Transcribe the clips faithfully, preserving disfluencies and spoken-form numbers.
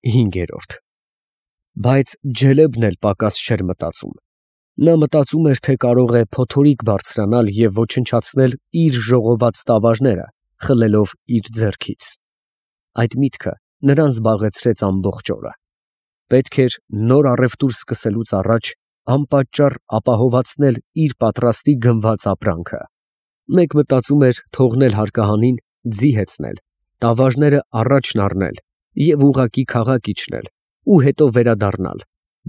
Հինգերորդ Բայց Ջելեբն էլ պակաս չէր մտածում. նա մտածում էր, թե կարող է փոթորիկ բարձրանալ և ոչնչացնել իր ժողոված տավարները, խլելով իր ձեռքից. այդ միտքը նրան զբաղեցրեց ամբողջ օրը. պետք էր նոր առևտուր սկսելուց առաջ անպատճառ ապահովացնել իր պատրաստի գնված ապրանքը. մեկ մտածում էր թողնել հարկահանին, ձի հեծնել, տավարները առաջն առնել և ուղղակի քաղաք իջնել ու հետո վերադառնալ,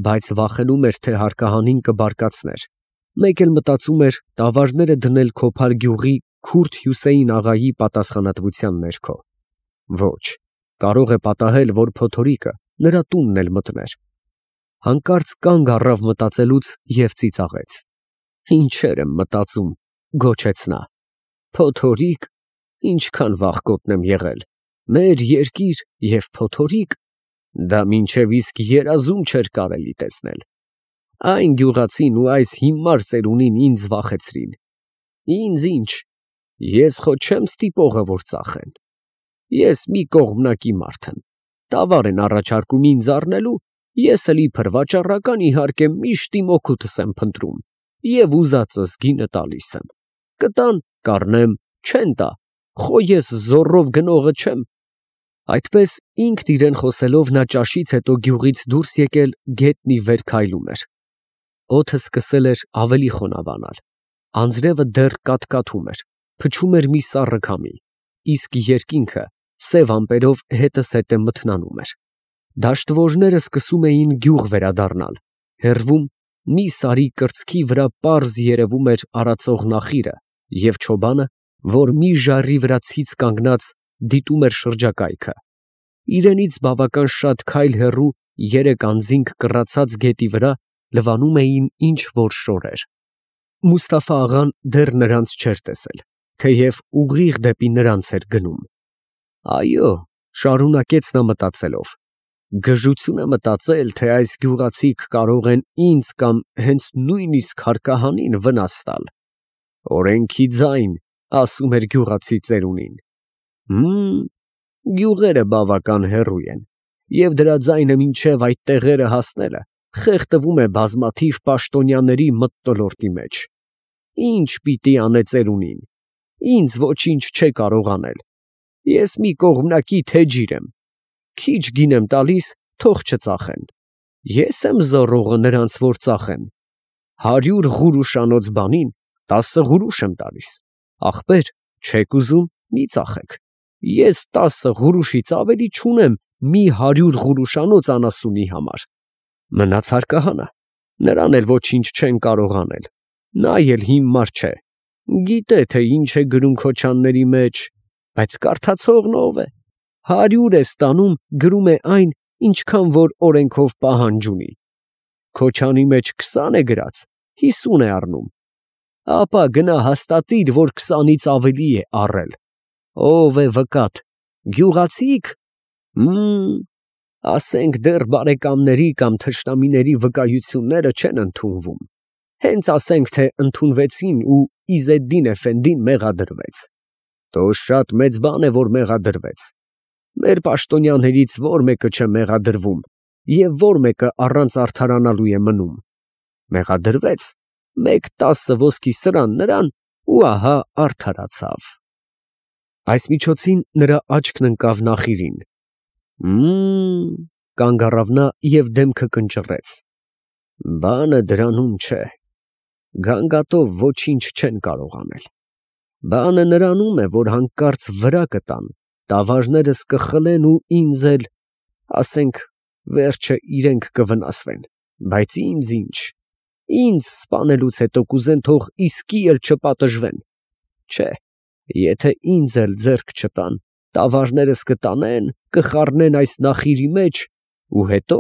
բայց վախենում էր, թե հարկահանին կբարկացներ, մեկ էլ մտածում էր տավարները դնել Քոփար գյուղի քուրդ Հյուսեյն աղայի պատասխանատվության ներքո. ոչ, կարող է պատահել, որ փոթորիկը նրա տունն էլ մտներ. հանկարծ կանգ առավ մտածելուց և ծիծաղեց. «Ինչեր եմ մտածում», գոչեց նա, «փոթորիկ, ինչքան վախկոտ եմ եղել, մեր երկիր և փոթորիկ, դա մինչև իսկ երազում չէր կարելի տեսնել, այն գյուղացին ու այս հիմար ծերունին ինձ վախեցրին, ինձ ինչ, ես խո չեմ ստիպողը, որ ծախեն, ես մի կողմնակի մարդ եմ, տավար են առաջարկում ինձ առնելու, ես էլ իբր վաճառական իհարկե միշտ իմ օգուտս եմ փնտրում և ուզածս գինը տալիս եմ, կտան, կառնեմ, չեն տա, խո ես զոռով գնողը չեմ»։ Այդպես ինքն իրան խոսելով նա ճաշից հետո գյուղից դուրս եկել գետնի վեր քայլում էր. օդը սկսել էր ավելի խոնավանալ, անձրևը դեռ կաթկաթում էր, փչում էր մի սառը քամի, իսկ երկինքը սև ամպերով հետզհետե մթնանում էր, դաշտվոժները սկսում էին գյուղ վերադառնալ, հեռվում մի սարի կրծքի վրա պարզ երևում էր արածող նախիրը և չոբանը, որ մի ժայռի վրա ցից կանգնած դիտում էր շրջակայքը, իրենից բավական շատ քայլ հեռու երեք անձինք կռացած գետի վրա լվանում էին ինչ֊որ շորեր. Մուստաֆա֊աղան դեռ նրանց չէր տեսել, թեև ուղիղ դեպի նրանց էր գնում։ «Այո», շարունակեց նա մտածելով, «գժություն է մտածել, թե այս գյուղացիք կարող են ինձ կամ հենց նույնիսկ հարկահանին վնաս տալ։ Օրենքի ձայն, ասում էր գյուղացի ծերունին։ Հըմ, գյուղերը բավական հեռու են, և դրա ձայնը մինչև այդ տեղերը հասնելը խեղդվում է բազմաթիվ պաշտոնյաների մթնոլորտի մեջ։ Ի՞նչ պիտի անե ծերունին, ինձ ոչինչ չէ կարող անել, ես մի կողմնակի թեջիր եմ, քիչ գին եմ տալիս, թող չծախեն, ես եմ զոռողը նրանց, որ ծախեն, հարյուր ღուրուշանոց բանին տասը ღուրուշ եմ տալիս, ախպեր, չեք ուզում, մի ծախեք, ես տասը ღուրուշից ավելի չունեմ մի հարյուր ღուրուշանոց անասունի համար։ Մնաց հարկահանը, նրան էլ ոչինչ չեն կարող անել, նա էլ հիմար չէ, գիտե, թե ինչ է գրում քոչանների մեջ, բայց կարդացողն ո՞վ է, հարյուր է ստանում, գրում է այն, ինչքան որ օրենքով պահանջ ունի, քոչանի մեջ քսան է գրած, հիսուն է առնում, ապա գնա հաստատիր, որ քսանից ավելի է առել, ո՞վ է վկատ, գյուղացի՞ք, հըմ, ասենք դեռ բարեկամների կամ թշնամիների վկայությունները չեն ընդունվում, հենց ասենք, թե ընդունվեցին ու Իզեդդին էֆենդին մեղադրվեց, տո շատ մեծ բան է, որ մեղադրվեց, մեր պաշտոնյաներից ո՞ր մեկը չէ մեղադրվում և ո՞ր մեկը առանց արդարանալու է մնում, մեղադրվեց, մեկ տասը ոսկի սրան նրան ու ահա արդարացավ։ Այս միջոցին նրա աչքն ընկավ նախիրին. «Մմ», կանգ առավ նա և դեմքը կնճռեց, «բանը դրանում չէ, գանգատով ոչինչ չեն կարող անել, բանը նրանում է, որ հանկարծ վրա կտան, տավարներս կխլեն ու ինձ էլ, ասենք, վերջը իրենք կվնասվեն, բայց ինձ ինչ, ինձ սպանելուց հետո կուզեն թող իսկի էլ չպատժվեն, չէ, եթե ինձ էլ ձեռք չտան, տավարներս կտանեն, կխառնեն այս նախիրի մեջ ու հետո,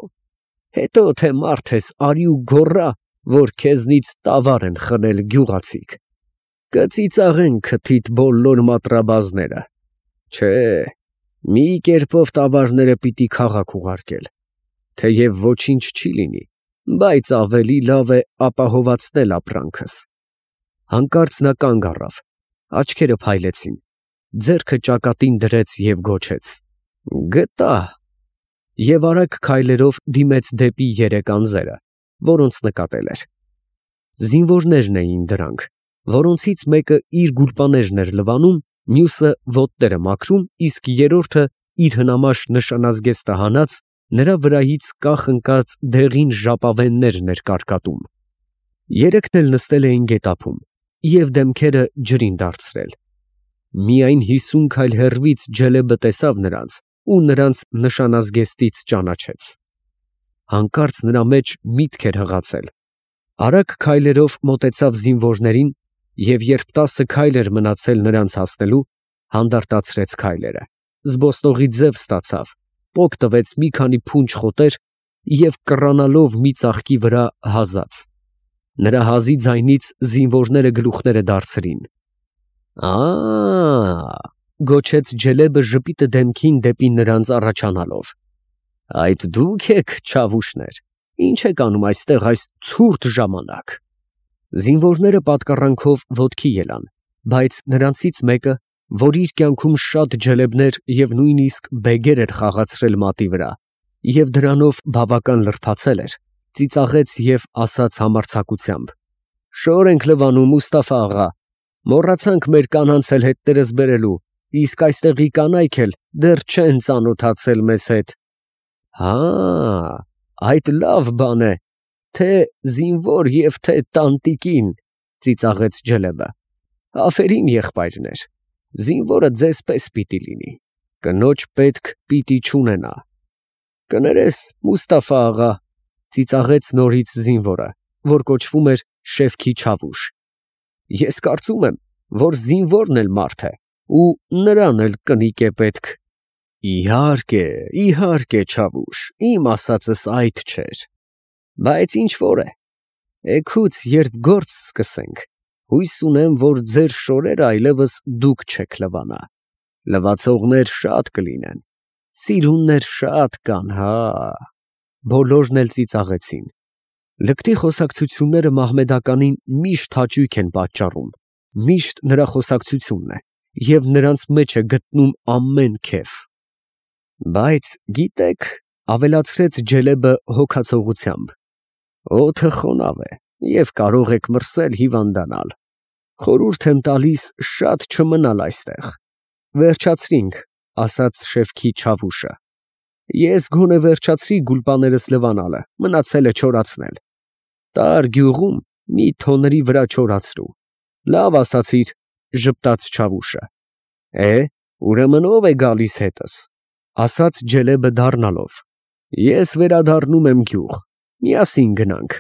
հետո թե մարդ ես արի ու գոռա, որ քեզնից տավար են խլել գյուղացիք, կծիծաղեն քթիդ բոլոր մատրաբազները, չէ, մի կերպով տավարները պիտի քաղաք ուղարկել, թեև ոչինչ չի լինի, բայց ավելի լավ է ապահովացնել ապրանքս»։ Հանկարծ նա կանգ առավ, աչքերը փայլեցին, ձեռքը ճակատին դրեց և գոչեց. «Գտա»։ Եվ արագ քայլերով դիմեց դեպի երեք անձերը, որոնց նկատել էր։ Զինվորներն էին դրանք, որոնցից մեկը իր գուլպաներն էր լվանում, մյուսը ոտները մաքրում, իսկ երրորդը իր հնամաշ նշանազգեստը հանած նրա վրայից կախ ընկած դեղին ժապավեններն էր կարկատում։ Երեքն էլ նստել էին գետափում և դեմքերը ջրին դարձրել։ Միայն հիսուն քայլ հեռվից Ջելեբը տեսավ նրանց ու նրանց նշանազգեստից ճանաչեց։ Հանկարծ նրա մեջ միտք էր հղացել։ Արագ քայլերով մոտեցավ զինվորներին և երբ տասը քայլ էր մնացել նրանց հասնելու, հանդարտացրեց քայլերը, զբոսնողի ձև ստացավ, պոկ տվեց մի քանի փունջ խոտեր և կռանալով մի ծաղկի վրա հազաց։ Նրա հազի ձայնից զինվորները գլուխները դարձրին։ «Ա՜, ֊ գոչեց Ջելեբը ժպիտը դեմքին դեպի նրանց առաջանալով, ֊ այդ դուք եք, չավուշներ, ի՞նչ եք անում այստեղ այս ցուրտ ժամանակ»։ Զինվորները պատկառանքով ոտքի ելան, բայց նրանցից մեկը, որ իր կյանքում շատ ջելեբներ և նույնիսկ բեգեր էր խաղացրել մատի վրա և դրանով բավական լրբացել էր, ծիծաղեց և ասաց համարձակությամբ. «Շոր ենք լվանում, Մուստաֆա աղա, մոռացանք մեր կանանց էլ հետներս բերելու, իսկ այստեղի կանայք էլ դեռ չեն ծանոթացել մեզ հետ»։ «Հա, այդ լավ բան է, թե զինվոր և թե տանտիկին, ֊ ծիծաղեց Ջելեբը, ֊ афերիմ եղբայրներ, զինվորը ձեզ պես պիտի լինի, կնոջ պետք պիտի չունենա»։ «Կներես, Մուստաֆա աղա, ֊ ծիծաղեց նորից զինվորը, որ կոչվում էր Շեֆքի Չավուշ, ֊ ես կարծում եմ, որ զինվորն էլ մարդ է ու նրան էլ կնիկ է պետք»։ «Իհարկե, իհարկե, Չավուշ, իմ ասածս այդ չէր, բայց ինչ որ է, էգուց երբ գործ սկսենք, հույս ունեմ, որ ձեր շորերը այլևս դուք չեք լվանա, լվացողներ շատ կլինեն, սիրուններ շատ կան, հա՜։ Բոլորն էլ ծիծաղեցին։ Լկտի խոսակցությունները Մահմեդականին միշտ հաճույք են պատճառում, միշտ նրա խոսակցությունն է և նրանց մեջ է գտնում ամեն քեֆ։ Բայց գիտեք, ֊ ավելացրեց Ջելեբը հոգացողությամբ, ֊ օդը խոնավ է և կարող եք մրսել հիվանդանալ, խորհուրդ եմ տալիս շատ չմնալ այստեղ։ Վերջացրինք, ֊ ասաց Շեֆքի Չավուշը, ֊ ես գոնե վերջացրի գուլպաներս լվանալը, մնացել է չորացնել։ Տար գյուղում մի թոների վրա չորացրու։ Լավ ասացիր, ֊ ժպտաց Չավուշը։ Է, ուրեմն ո՞վ է գալիս հետս, ֊ ասաց Ջելեբը դառնալով։ Ես վերադառնում եմ գյուղ, միասին գնանք։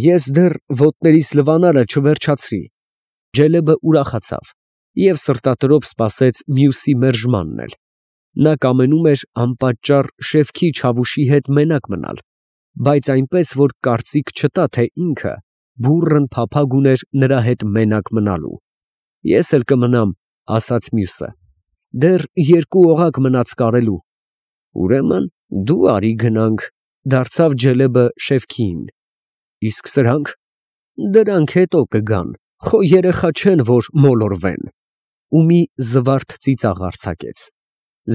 Ես դեռ ոտներիս լվանալը չվերջացրի։ Ջելեբը ուրախացավ և սրտատրոփ սպասեց մյուսի մերժմանն էլ։ Նա կամենում էր անպատճառ Շեֆքի Չավուշի հետ մենակ մնալ, բայց այնպես, որ կարծիք չտա, թե ինքը բուռն փափագ ուներ նրա հետ մենակ մնալու։ Ես էլ կմնամ, ֊ ասաց մյուսը, ֊ դեռ երկու օղակ մնաց կարելու։ Ուրեմն դու արի գնանք, ֊ դարձավ Ջելեբը Շեֆքիին։ Իսկ սրանք, ֊ դրանք հետո կգան, խո երեխա չեն, որ մոլորվեն։ Ու մի զվարթ ծիծաղ արձակեց։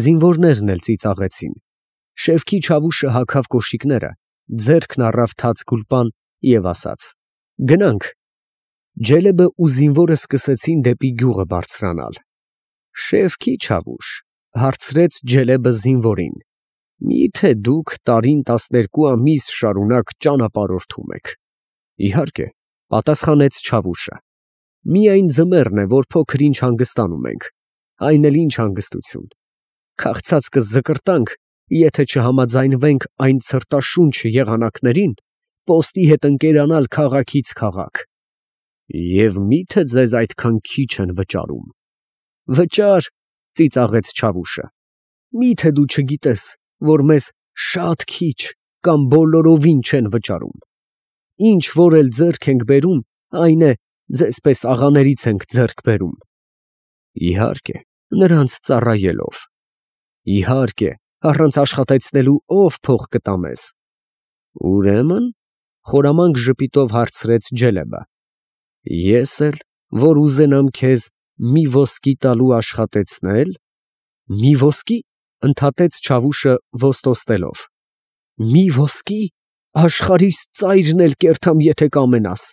Զինվորներն էլ ծիծաղեցին։ Շեֆքի Չավուշը հագավ կոշիկները, ձեռքն առավ թաց գուլպան և ասաց. «Գնանք»։ Ջելեբը ու զինվորը սկսեցին դեպի գյուղը բարձրանալ։ Շեֆքի Չավուշ, ֊ հարցրեց Ջելեբը զինվորին, ֊ մի՞թե դուք տարին տասներկու ամիս շարունակ ճանապարհորդում եք։ Իհարկե, ֊ պատասխանեց Չավուշը, ֊ միայն ձմեռն է, որ փոքր ինչ հանգստանում ենք, այն էլ ինչ հանգստություն, քաղցածկը զկրտանք, եթե չհամաձայնվենք այն ցրտաշունչ եղանակներին պոստի հետ ընկերանալ քաղաքից քաղաք։ Եվ մի՞թե ձեզ այդքան քիչ են վճարում։ Վճար, ֊ ծիծաղեց Չավուշը, ֊ մի՞թե դու չգիտես, որ մեզ շատ քիչ կամ բոլորովին չեն վճարում։ Ինչ որ էլ ձեռք ենք բերում, այն է, ձեզպես աղաներից ենք ձեռք բերում։ Իհարկե, նրանց ծառայելով։ Իհարկե, առանց աշխատեցնելու ո՞վ փող կտա մեզ։ Ուրեմն, ֊ խորամանկ ժպիտով հարցրեց Ջելեբը, ֊ ես էլ, որ ուզենամ քեզ մի ոսկի տալու աշխատեցնե՞լ։ Մի ոսկի, ֊ Ընդհատեց Չավուշը ոստոստելով։ Մի ոսկի, աշխարհիս ծայրն էլ կերտամ, եթե կամենաս։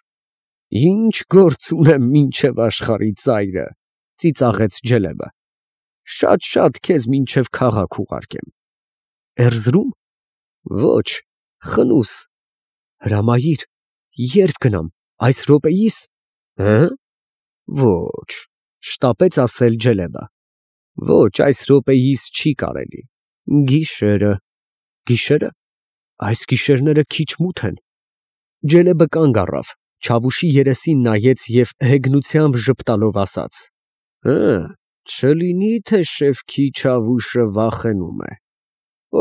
Ինչ գործ ունեմ մինչև աշխարհի ծայրը, ծիծաղեց Ջելեբը։ Շատ-շատ քեզ մինչև քաղաք ուղարկեմ։ Էրզրում։ Ոչ, խնուս։ Հրամայիր, երբ գնամ, այս րոպեիս։ Հը՞։ Ոչ, շտապեց ասել Ջելեբը։ Ոչ, այս րոպեիս չի կարելի։ Գիշերը։ Գիշերը։ Այս գիշերները քիչ մութ են։ Ջելեբը կանգ առավ, Չավուշի երեսին նայեց և հեգնությամբ ժպտալով ասաց. Հը, չլինի թե շեֆքի Չավուշը վախենում է։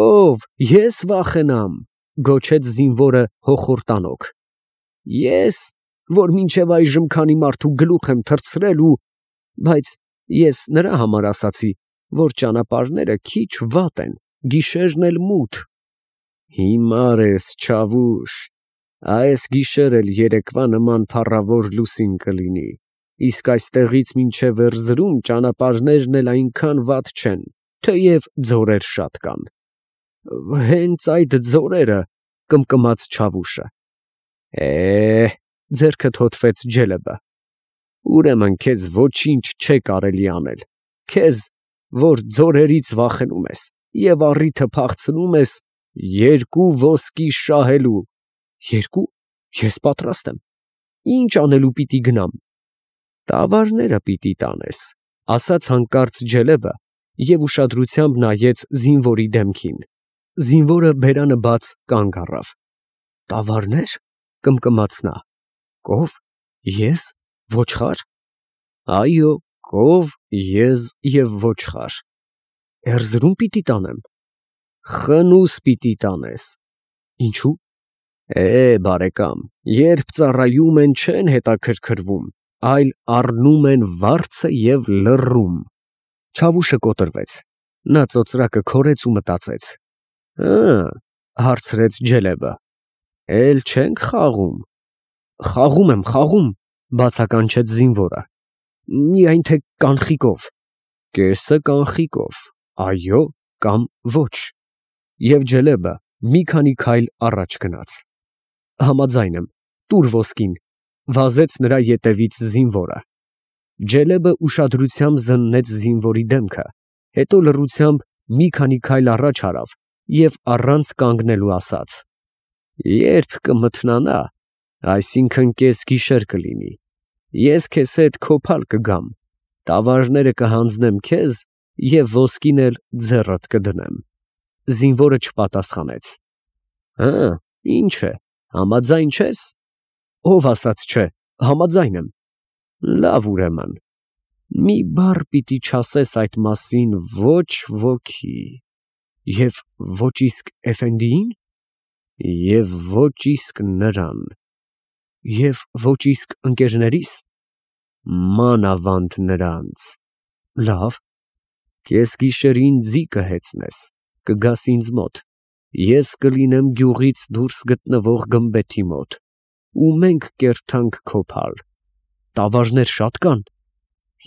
Ով, ես վախենամ, գոչեց զինվորը հոխորտանոք։ Ես, որ մինչև այժմ քանի մարդու գլուխ եմ թռցրել ու… Բայց ես նրա համար ասացի, որ ճանապարհները քիչ վատ են, գիշերն էլ մութ։ Հիմար ես, Չավուշ, այս գիշեր էլ երեկվա նման փառավոր լուսին կլինի, իսկ այստեղից մինչև Էրզրում ճանապարհներն էլ այնքան վատ չեն, թեև ձորեր շատ կան։ Հենց այդ ձորերը, կմկմաց Չավուշը։ Է, ձեռքը թոթվեց Ջելեբը։ Ուրեմն քեզ ոչինչ չէ կարելի անել, քեզ, որ ձորերից վախենում ես և առիթը փախցնում ես երկու ոսկի շահելու։ Երկու, ես պատրաստ եմ։ Ինչ անելու պիտի գնամ։ Տավարները պիտի տանես, ասաց հանկարծ Ջելեբը և ուշադրությամբ նայեց զինվորի դեմքին։ Զինվորը բերանը բաց կանգ առավ։ Տավարնե՞ր, կմկմաց նա։ Կով, ես, ոչխա՞ր։ Այո, կով, եզ և ոչխար։ Էրզրում պիտի տանեմ։ Խնուս պիտի տանես։ Ինչու։ Է, բարեկամ, երբ ծառայում են, չեն հետաքրքրվում, այլ առնում են վարձը և լռում։ Չավուշը կոտրվեց։ Նա ծոծրակը քորեց ու մտածեց։ Հը, հարցրեց Ջելեբը, էլ չենք խաղում։ Խաղում եմ, խաղում, բացականչեց զինվորը։ Միայն թե կանխիկով։ Կեսը կանխիկով, այո կամ ոչ։ Եվ Ջելեբը մի քանի քայլ առաջ գնաց։ Համաձայն եմ, տուր ոսկին, վազեց նրա ետևից զինվորը։ Ջելեբը ուշադրությամբ զննեց զինվորի դեմքը, հետո լռությամբ մի քանի քայլ առաջ արավ և առանց կանգնելու ասաց. Երբ կմթնանա, այսինքն կեսգիշեր կլինի, ես քեզ հետ քոփալ կգամ, տավարները կհանձնեմ քեզ և ոսկին էլ ձեռդ կդնեմ։ Զինվորը չպատասխանեց։ Հը, ինչ է, համաձայն չես։ Ով ասաց չէ, համաձայն եմ։ Լավ, ուրեմն, մի բառ պիտի չասես այդ մասին ոչ ոքի, և ոչ իսկ էֆենդիին, և ոչ իսկ նրան, և ոչ իսկ ընկերներիս, մանավանդ նրանց։ Լավ։ Կեսգիշերին ձի կհեծնես, կգաս ինձ մոտ, ես կլինեմ գյուղից դուրս գտնվող գմբեթի մոտ, ու մենք կերտանք քոփալ։ Տավարներ շատ կան։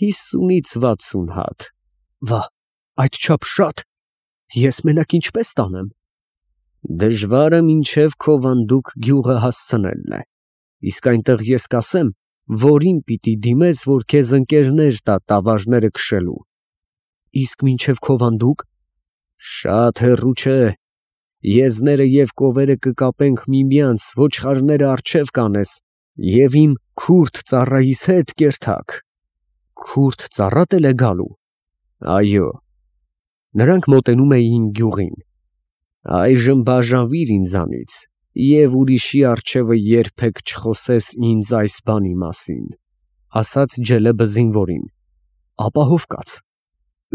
Հիսունից վաթսուն հատ։ Վա, այդչափ շա՞տ։ Ես մենակ ինչպես տանեմ։ Դժվարը մինչև Քովանդուկ գյուղը հասցնելն է, իսկ այնտեղ ես կասեմ, որին պիտի դիմես, որ քեզ ընկերներ տա տավարները քշելու։ Իսկ մինչև Քովանդուկ։ Շատ հեռու չէ։ Եզները և կովերը կկապենք միմյանց, ոչխարները առջև կանես և իմ քուրդ ծառայիս հետ կերթաք։ Քուրդ ծառատ էլ է գալու։ Այո։ Նրանք մոտենում էին գյուղին։ Այժմ բաժանվիր ինձանից և ուրիշի առջևը երբեք չխոսես ինձ այս բանի մասին, ասաց Ջելեբը զինվորին։ Ապահով կաց։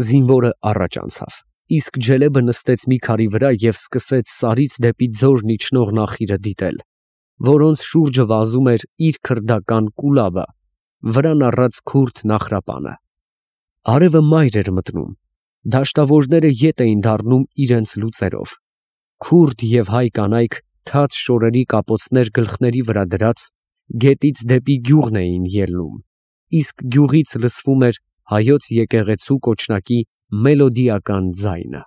Զինվորը առաջ անցավ, իսկ Ջելեբը նստեց մի քարի վրա և սկսեց սարից դեպի ձորն իջնող նախիրը դիտել, որոնց շուրջը վազում էր իր քրդական կուլաբը, վրան առած քուրդ նախրապանը։ Արևը մայր էր մտնում, դաշտավորները ետ էին դառնում իրենց լուծերով։ Քուրդ և հայ կանայք թաց շորերի կապոցներ գլխների վրա դրած, գետից դեպի գյուղն էին ելնում, իսկ գյուղից լսվում էր հայոց եկեղեցու կոչնակի մելոդիական ձայնը։